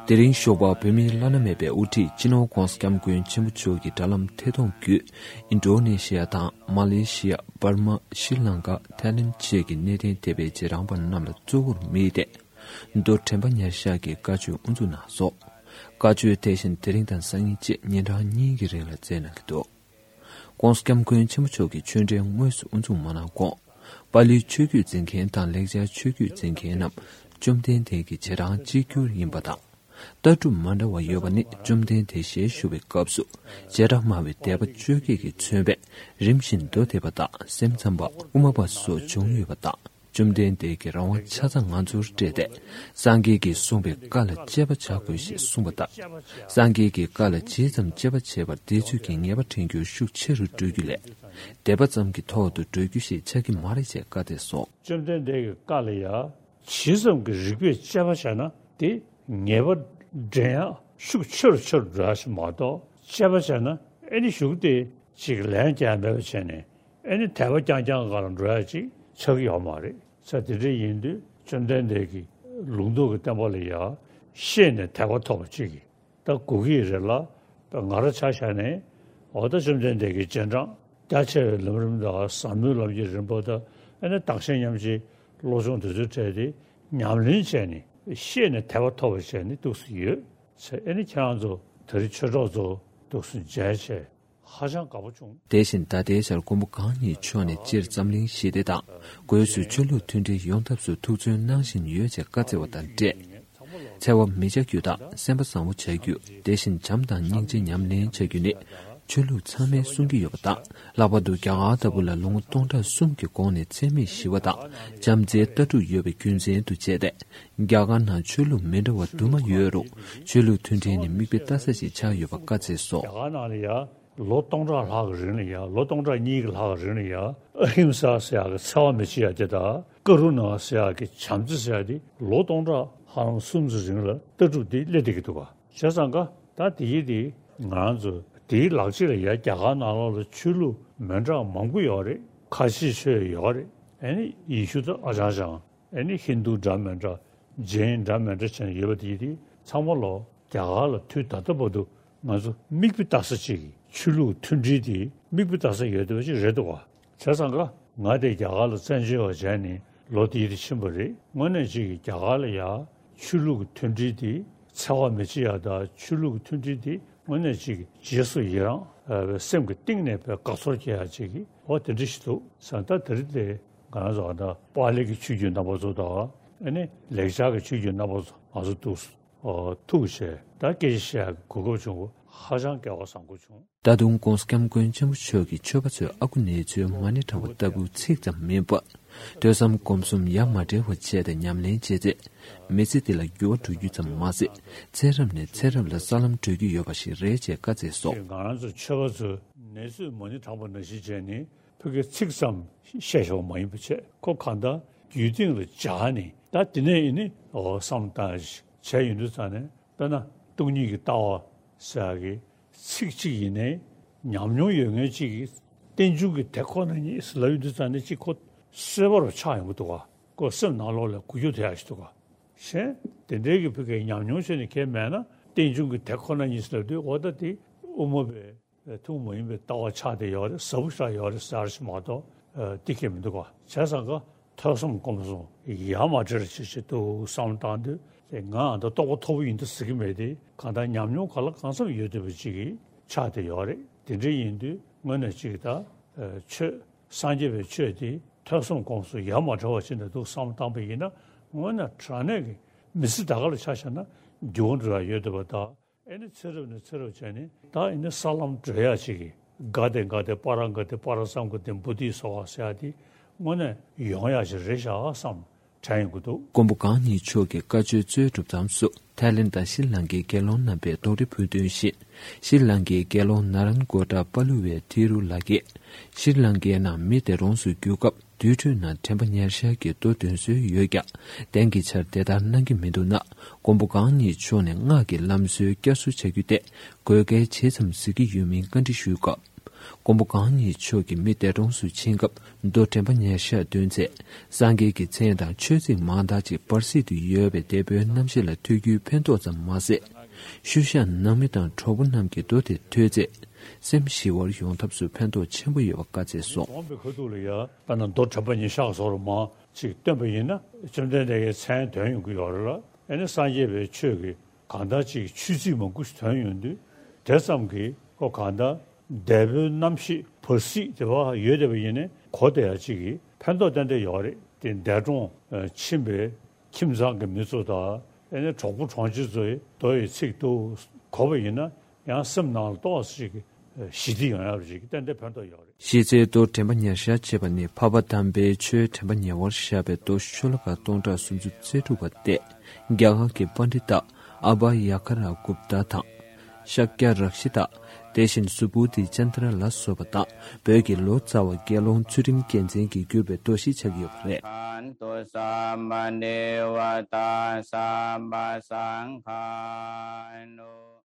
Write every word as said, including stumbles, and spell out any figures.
དེ་རིང་ཞོགས་པ་བོད་མིའི་བླ་ན་མེད་པའི་དབུ་ཁྲིད་སྤྱི་ནོར་༧གོང་ས་༧སྐྱབས་མགོན་ཆེན་པོ་མཆོག་གི་དྲ་ལམ་ཐད་གཏོང་བརྒྱུད། ཨིན་ཌོ་ནེ་ཤི་ཡ་དང་མ་ལེ་ཤི་ཡ། འབར་མ། ཤྲི་ལང་ཀ། ཐའི་ལེན་བཅས་ཀྱི་གནས་བརྟན་སྡེ་པའི་རྗེས་འབྲང་པ་རྣམས་ལ་གཙོ་བོར་དམིགས་ཏེ། མདོ་དྲན་པ་ཉེར་བཞག་གི་བཀའ་ཆོས་དབུ་འཛུགས་གནང་སོང་། བཀའ་ཆོས་དེ་བཞིན་དེ་རིང་དང་སང་ཉིན་བཅས་ཉིན་གྲངས་གཉིས་ཀྱི་རིང་ལ་སྩལ་གནང་གི་འདུག ༸གོང་ས་༸སྐྱབས་མགོན་ཆེན་པོ་མཆོག་གིས་ཆོས་འབྲེལ་དངོས་སུ་དབུ་འཛུགས་མ་གནང་གོང་། པཱ་ལིའི་ཆོས་བརྒྱུད་འཛིན་མཁན་དང་ལེགས་སྦྱར་ཆོས་བརྒྱུད་འཛིན་མཁན་རྣམས་བཅོམ་ལྡན་འདས་ཀྱི་རྗེས་འབྲང་གཅིག་གྱུར་ཡིན་པ་དང་། ལྟ་གྲུབ་མ་འདྲ་བ་ཡོད་པ་ནི་བཅོམ་ལྡན་འདས་ཞལ་བཞུགས་པའི་སྐབས་སུ་བྱེ་བྲག་སྨྲ་བའི་སྡེ་པ་བཅོ་བརྒྱད་ཀྱིས་མཚོན་པས་རིམ་བཞིན་མདོ་སྡེ་པ་དང་སེམས་ཙམ་པ། དབུ་མ་པ་སོགས་བྱུང་ཡོད་པ་དང་། བཅོམ་ལྡན་འདས་ཀྱིས་རང་དབང་ཆ་ཚང་ང་ཚོར་སྤྲད་དེ། སངས་རྒྱས་ཀྱིས་གསུངས་པའི་བཀའ་ལ་དཔྱད་པ་བྱ་དགོས་ཞེས་གསུངས་པ་ལྟར། སངས་རྒྱས་ཀྱི་བཀའ་ལ་ཇི་ཙམ་དཔྱད་པ་བྱས་པར་དེ་ཚོད་ཀྱིས་ངེས་པ་དྲན་རྒྱུ་ཤུགས་ཆེ་རུ་འགྲོ་རྒྱུ་ལས། སྡེ་པ་ཙམ་གྱི་ཐོག་ཏུ་འགྲོ་རྒྱུ་ཞིག་ཆགས་ཀྱི་མ་རེད་ཅེས་བཀའ་སྩལ་སོང་། བཅོམ་ལྡན་འདས་ཀྱི་བཀའ་ལ་ཡང་ཇི་ཙམ་གྱི་རིགས་པས་དཔྱད་པ་བྱས་ན་དེ་ངེས་པ་འདྲེན་ཡག་ཤུགས་ཆེ་རུ་ཆེ་རུ་འགྲོ་ཡག་ཞིག་མ་གཏོགས། དཔྱད་པ་བྱས་ན་ཨེ་ནི་གཞུག་དེ་ཅིག་ལན་རྒྱག་མེད་པ་བྱས་ནས། ཨེ་ནི་དད་པ་རྐྱང་རྐྱང་སྒང་ལ་འགྲོ་ཡག་ཅིག་ཆགས་ཀྱི་ཡོད་མ་རེད། ས་དེ་འདྲ་ཡིན་དུས་བཅོམ་ལྡན་འདས་ཀྱིས་ལུང་རྟོགས་ཀྱི་བསྟན་པ་ལ་ཡང་ཤེས་ནས་དད་པ་ཐོབ་པ་ཅིག་གིས་ད་དགོས་ཀྱི་རེད་ལ། ད་ང་རང་ཆ་བཞག་ནས་འོ་ད་བཅོམ་ལྡན་འདས་ཀྱི་རྗེས་འབྲང་རྒྱ་ཆེ་བའི་ལམ་རིམ་དང་ཟབ་མོའི་ལམ་གྱི་རིམ་པ་དང་། ཨེ་ནི་བདག་གཞན་མཉམ་བརྗེའི་བློ་སྦྱོང་དེ་ཚོའི་གྲས་དེ་ཉམས་ལེན་བྱས་ནས་ཤེས་ནས་དད་པ་ཐོབ་པ་བྱས་ནས་འདུག་སེ་ཡོད་ཟེར། ཨེ་ནི་ཁྱེད་རང་ཚོ་ད་རེས་ཆོས་གྲོགས་ཚོ་འདུག་སེ་མཇལ་བྱས། ཧ་ཅང་དགའ་པོ་བྱུང་། དེ་བཞིན་ད་ལྟའི་ཆར་མགོན་པོ་གང་ཉིད་མཆོག་ནས་སྤྱིར་འཛམ་གླིང་ཞི་བདེ་དང་སྒོས་སུ་ཆོས་ལུགས་མཐུན་སྒྲིལ་ཡོང་ཐབས་སུ་ཐུགས་བརྩོན་གནང་བཞིན་ཡོད་ཅེས་བཀའ་སྩལ་བ་དང་འབྲེལ། འཚེ་བ་མི་བྱ་རྒྱུ་དང་སེམས་པ་བཟང་བོ་བྱ་རྒྱུ། དེ་བཞིན་བྱམས་དང་སྙིང་རྗེ་ཉམས་ལེན་བྱ་རྒྱུ་ནི་ཆོས་ལུགས་ཚང་མས་གསུང་གི་ཡོད་པ་དང་། ལྷག་པར་དུ་རྒྱ་གར་ལྟ་བུ་ལ་ལོ་ངོ་སྟོང་ཕྲག་གསུམ་གྱི་གོང་ནས་འཚེ་མེད་ཞི་བ་དང་བྱམས་བརྩེའི་ལྟ་གྲུབ་ཡོད་པའི་རྒྱུ་མཚན་དུ་བྱས་ཏེ། རྒྱ་གར་ནང་ཆོས་ལུགས་མི་འདྲ་བ་དུ་མ་ཡོད་རུང་ཆོས་ལུགས་མཐུན་སྒྲིལ་ནི་མིག་དཔེ་ལྟ་ས་ཞིག་ཆགས་ཡོད་པ་བཀའ་སྩལ་སོང་། རྒྱ་གར་ནང་ལ་ཡ། ལོ་སྟོང་ཕྲག་ལྷག་གི་རིང་ལ་ཡ། ལོ་སྟོང་ཕྲག་གཉིས་ཀྱི་ལྷག་གི་རིང་ལ་ཡ། ཨ་ཧིམ་ས་ཟེར་ཡག་གི་འཚེ་བ་མི་བྱེད་ཡག་དེ་དང་། ཀ་རུ་ཎ་ཟེར་ཡག་གི་བྱམས་བརྩེ་ཟེར་ཡག་དེ་ལོ་སྟོང་ཕྲག་ལྷག་གསུམ་ཙམ་རིང་ལ་ལྟ་གྲུབ་དེ་སླེབས་བསྡད་ཀྱི་འདུག་ག་བྱས་ཙང་ག་ད་དེ་ཡི་དེ་ང་རང་ཚོ་དེའི་ལག་རྗེས་ལ་ཡ། རྒྱ་གར་ནང་ལོགས་ལ་ཆོས་ལུགས་མི་འདྲ་མང་པོ་ཡོད་རེད། ཁ་ཆེ་ཆོས་ཡོད་རེད། ཨ་ནི་ཡེ་ཤུ་དང་ཨ་ཅང་ཅང་། ཨ་ནི་ཧིན་དུ་འདྲ་མི་འདྲ། ཇེན་འདྲ་མི་འདྲ་བྱས་ནས་ཡོད་པ་དེ་ཡི་དེ་ཚང་མ་ལོ། རྒྱ་གར་ལ་དུས་ད་ལྟ་བར་དུ་ང་ཚོ་མིག་དཔེ་ལྟ་ས་གཅིག་གི་ཆོས་ལུགས་མཐུན་སྒྲིལ་དེ་མིག་དཔེ་ལྟ་ས་ཡོད་བསྡད་པ་ཅིག་རེད་འདུག་ག་བྱས་ཙང་ག་ང་དེ་རྒྱ་གར་ལ་བཙན་བྱོལ་བ་བྱས་ནས་ལོ་དེ་ཡི་དེ་ཕྱིན་པ་རེད། དངོས་གནས་གཅིག་གི་རྒྱ་གར་ལ་ཡ་ཆོས་ལུགས་མཐུན་སྒྲིལ་དེ་འཚེ་བ་མི་བྱེད་ཡག་དང་ཆོས་ལུགས་མཐུན་སྒྲིལ་དེ་དངོས་གནས་གཅིག་གི་རྗེས་སུ་ཡི་རང་། ཨ། སེམས་ཀྱི་གཏིང་ནས་དཔེ་དགའ་ཚོར་སྐྱེ་ཡག་ཅིག་གི་འོ་དེ་འདྲ་ཞིག་འདུག་ཟེར། ད་དེ་རིང་དེ་ང་རང་ཚོ་ཨ་ད་པཱ་ལི་གི་ཆོས་བརྒྱུད་རྣམ་པ་ཚོ་དང་། ཨ་ནི་ལེགས་སྦྱར་གྱི་ཆོས་བརྒྱུད་རྣམ་པ་ཚོ་ང་ཚོ་འདུག་སེ་ཨོ་ཐུག་བྱས་ད་སྐད་ཆ་བཤད་ཡག་གི་གོ་སྐབས་བྱུང་བ་ཧ་ཅང་སྐལ་བ་བཟང་པོ་བྱུང་། ད་དུང་༸གོང་ས་༸སྐྱབས་མགོན་ཆེན་པོ་མཆོག་གིས་ཆོས་པ་ཚོས་ཨ་ཁུ་ནེ་ཙོའི་མ་ཎི་བགྲང་བ་ལྟ་བུ་ཚིག་ཙམ་མིན་པར། ཐོས་བསམ་སྒོམ་གསུམ་ཡ་མ་བྲལ་བ་བྱས་ཏེ་ཉམས་ལེན་བྱས་ཚེ། མི་ཚེ་འདི་ལ་འགྱུར་བ་འགྲོ་རྒྱུ་ཙམ་མ་ཟད། ཚེ་རབས་ནས་ཚེ་རབས་ལ་ས་ལམ་བགྲོད་རྒྱུ་ཡོད་པ་ཞིག་རེད་ཅེས་བཀའ་སྩལ་སོང་། ང་རང་ཚོ་ཆོས་པ་ཚོས་ནེ་ཙོས་མ་ཎི་བགྲངས་པ་ནང་བཞིན་བྱས་ནས་ཕ་གིའི་ཚིག་ཙམ་བཤད་བཞག་པ་མ་ཡིན་པ་བྱས། ཁོ་གང་ལྟར་རྒྱུད་སྟེང་ལ་སྦྱར་ནས་ད་དེ་ནས་ཡིན་ནི་འོ་བསམ་བཏང་བྱས་ཡོང་དུས་ཙང་ནས། དཔེར་ན་སྟོང་ཉིད་ཀྱི་ལྟ་བ་ཟེར་ཡག་གི་ཚིག་གཅིག་ཡིན་ནའི་ཉམས་མྱོང་ཡོད་མཁན་གཅིག་གིས་རྟེན་འབྱུང་གི་དེ་ཁོ་ན་ཉིད་ཟེར་ལབ་ཡོང་དུས་ཙང་ནས་གཅིག་ཁོ་གསོད་པ་རུ་ཆགས་ཡོང་གི་འདུག་ག་ཁོ་སེམས་ནང་ལོགས་ལ་འགུལ་སྐྱོད་ཐེབས་ཡག་ཞིག་འདུག་ག་བྱས་དེ་འདྲའི་གི་ཕ་གིའི་ཉམས་མྱོང་བྱས་ནས་ཁྱེད་མེད་ན་རྟེན་འབྱུང་གི་དེ་ཁོ་ན་ཉིད་ཟེར་ལབ་དུས་འོ་ད་དེ་དབུ་མ་པའི་ཐུན་མོང་མ་ཡིན་པའི་ལྟ་བ་ཆགས་བསྡད་ཡོད་རེད། ཟབ་པོ་ཆགས་ཡོད་རེད་ཟེར་ཞིག་མ་གཏོགས་ཨ་དེ་གས་མི་འདུག་ག་བྱས་ཙང་ག་ཐོས་བསམ་སྒོམ་གསུམ་ཡ་མ་བྲལ་བྱེད་ཆེད་དུ་བསམ་བློ་བཏང་དུས་དེ་ང་ཨ་ད་རྟོགས་པ་མཐོ་པོ་ཡིན་འདུག་ཟེར་གྱི་མེད་དེ། གང་ལྟར་ཉམས་མྱོང་གང་ལ་གང་འཚམ་ཡོད་བསྡད་པ་ཅིག་གིས་ཆགས་བསྡད་ཡོད་རེད། དེ་འདྲ་ཡིན་དུས་དངོས་གནས་ཅིག་ད་ཨ་ཆོས་སངས་རྒྱས་པའི་ཆོས་དེ་ཐོས་བསམ་སྒོམ་གསུམ་ཡ་མ་བྲལ་བ་ཅིག་ནས་འདུག་བསམ་བློ་བཏང་པ་ཡིན་ན། དངོས་གནས་དྲང་གནས་ཀྱི་མི་ཚེ་ད་ག་ལ་ཆ་བཞག་ན་འགྱུར་བ་འགྲོ་ཡ་ཡོད་བསྡད་པ་དང་། ཨེ་ནི་ཚེ་རབས་ནས་ཚེ་རབས་བྱས་ནས་ད་ཨེ་ནི་ས་ལམ་བགྲོད་ཡག་ཅིག་གི་ག་དེ་ག་དེ་པ་ར་ག་དེ་པ་ར་སཾ་ག་དེ་བོ་དྷི་སྭཱ་ཧཱ་ཟེར་ཡག་དེ་དངོས་གནས་ཡོང་ཡག་ཅིག་རེད་ཤག་བསམ་དྲན་ཡོང་གི་འདུག་མགོན་པོ་གང་ཉིད་མཆོག་གི་བཀའ་ཆོས་གཙོས་གྲུབ་མཐའམ་སུ་ཐའི་ལེན་དང་ཤྲི་ལང་ཀའི་དགེ་སློང་རྣམ་པས་རྡོག་ཁྲེས་ཕུལ་དོན་བཞིན། ཤྲི་ལང་ཀའི་དགེ་སློང་ན་རན་གོ་ཏྲ་པ་ལུ་ཝེ་ཐི་རུ་ལགས་ཀྱིས། ཤྲི་ལང་ཀའི་ནང་མི་དེ་རོང་སུ་བསྒྱུར་སྐབས། དུར་ཁྲོད་ནང་དྲན་པ་ཉེར་བཞག་གི་མདོ་འདོན་སྲོལ་ཡོད་ཀྱང་། དེང་གི་ཆར་དེ་ལྟར་གནང་གི་མི་འདུག་ན། མགོན་པོ་གང་ཉིད་མཆོག་ནས་སྔགས་ཀྱི་ལམ་སྲོལ་བསྐྱར་གསོ་བྱ་རྒྱུ་དེ་དགོས་གལ་ཇི་ཙམ་གཟིགས་ཀྱི་ཡོད་མིན་བཀའ་འདྲི་ཞུས་སྐབས། མགོན་པོ་གང་ཉིད་མཆོག་གིས་མི་འདས་གྲོངས་སུ་ཕྱིན་སྐབས་རྡོ་དྲན་པ་ཉེར་བཞག་འདོན་མཛད། སངས་རྒྱས་ཀྱི་མཚན་དང་ཆོས་ཚིག་མང་དག་ཅིག་བར་སྲིད་དུ་ཡོད་པའི་འདས་པོའི་རྣམ་ཤེས་ལ་ཐོས་རྒྱུའི་ཕན་ཐོགས་ཙམ་མ་ཟད། ཤུལ་བཞག་ནང་མི་དང་གྲོགས་པོ་རྣམས་ཀྱིས་རྡོ་དེ་ཐོས་ཚེ། སེམས་ཞི་བར་ཡོང་ཐབས་སུ་ཕན་ཐོགས་ཆེན་པོ་ཡོད་པ་བཀའ་སྩལ་སོང་། དགོངས་པའི་ཁ་ཐུག་ལ་ཡ་དཔེར་ན་རྡོ་དྲན་པ་ཉེར་བཞག་སོགས་ལ་མང་ཅིག་བཏོན་པ་ཡིན་ན་བཅོམ་ལྡན་འདས་ཀྱི་མཚན་ཐོན་ཡོང་གི་ཡོད་རེད་ལ། ཨེ་ནི་སངས་རྒྱས་པའི་ཆོས་ཀྱི་གང་ལྟར་ཅིག་ཆོས་ཚིག་མང་པོ་ཞིག་ཐོན་ཡོང་དུས། དེ་ཙམ་གྱིས་ཁོ་གང་ལྟར་འདས་པོའི་རྣམ་ཤེས་བར་སྲིད་དེ་བ་ཡོད་བསྡད་པ་ཡིན་ནའི་གོ་བདེ་ཡ་ཅིག་གིས་ཕན་ཐོགས་ཏན་ཏན་ཡོད་རེད་དེ། འདས་གྲོངས་ཕྱིན་པའི་ཁྱིམ་ཚང་གི་མི་ཚོ་དང་ཨེ་ནི་གྲོགས་པོ་གྲོང་ཁྱེར་ཚོས་རྡོ་ཡི་ཚིག་ཏུ་གོ་བ་ཡིན་ན་ཡང་སེམས་ནང་ལ་ཏོག་ཙམ་ཞིག་ཞི་བདེ་ཡོང་ཡ་ཅིག་ཏན་ཏན་ཕན་ཐོགས་ཡོད་རེད། གཞི་རྩའི་རྡོ་དྲན་པ་ཉེར་བཞག་ཅེས་པ་ནི་འཕགས་པ་དམ་པའི་ཆོས་དྲན་པ་ཉེ་བར་བཞག་པའི་རྡོ་ཤོ་ལོ་ཀ་སྟོང་ཕྲག་སུམ་ཅུ་རྩ་དྲུག་པ་སྟེ། རྒྱ་གར་གྱི་པཎྜི་ཏ་ཨ་བྷ་ཡ་ག་ར་གུཔྟ་དང་། ཤཱཀྱ་རཀྵི་ཏ། དེ་བཞིན་སུ་བོ་དྷི་ཙནྡྲ་ལ་སོགས་པ་དང་བོད་ཀྱི་ལོ་ཙཱ་བ་དགེ་སློང་ཚུལ་ཁྲིམས་རྒྱལ་མཚན་གྱིས་བསྒྱུར་བའི་རྡོ་ཞེས་བྱ་གི་ཡོད་པ་རེད། ཁན་ཏུ་སམ་བ་དེ་ཝ་ཏཱ་སམ་བ་སང་ཁཱ་ནུ།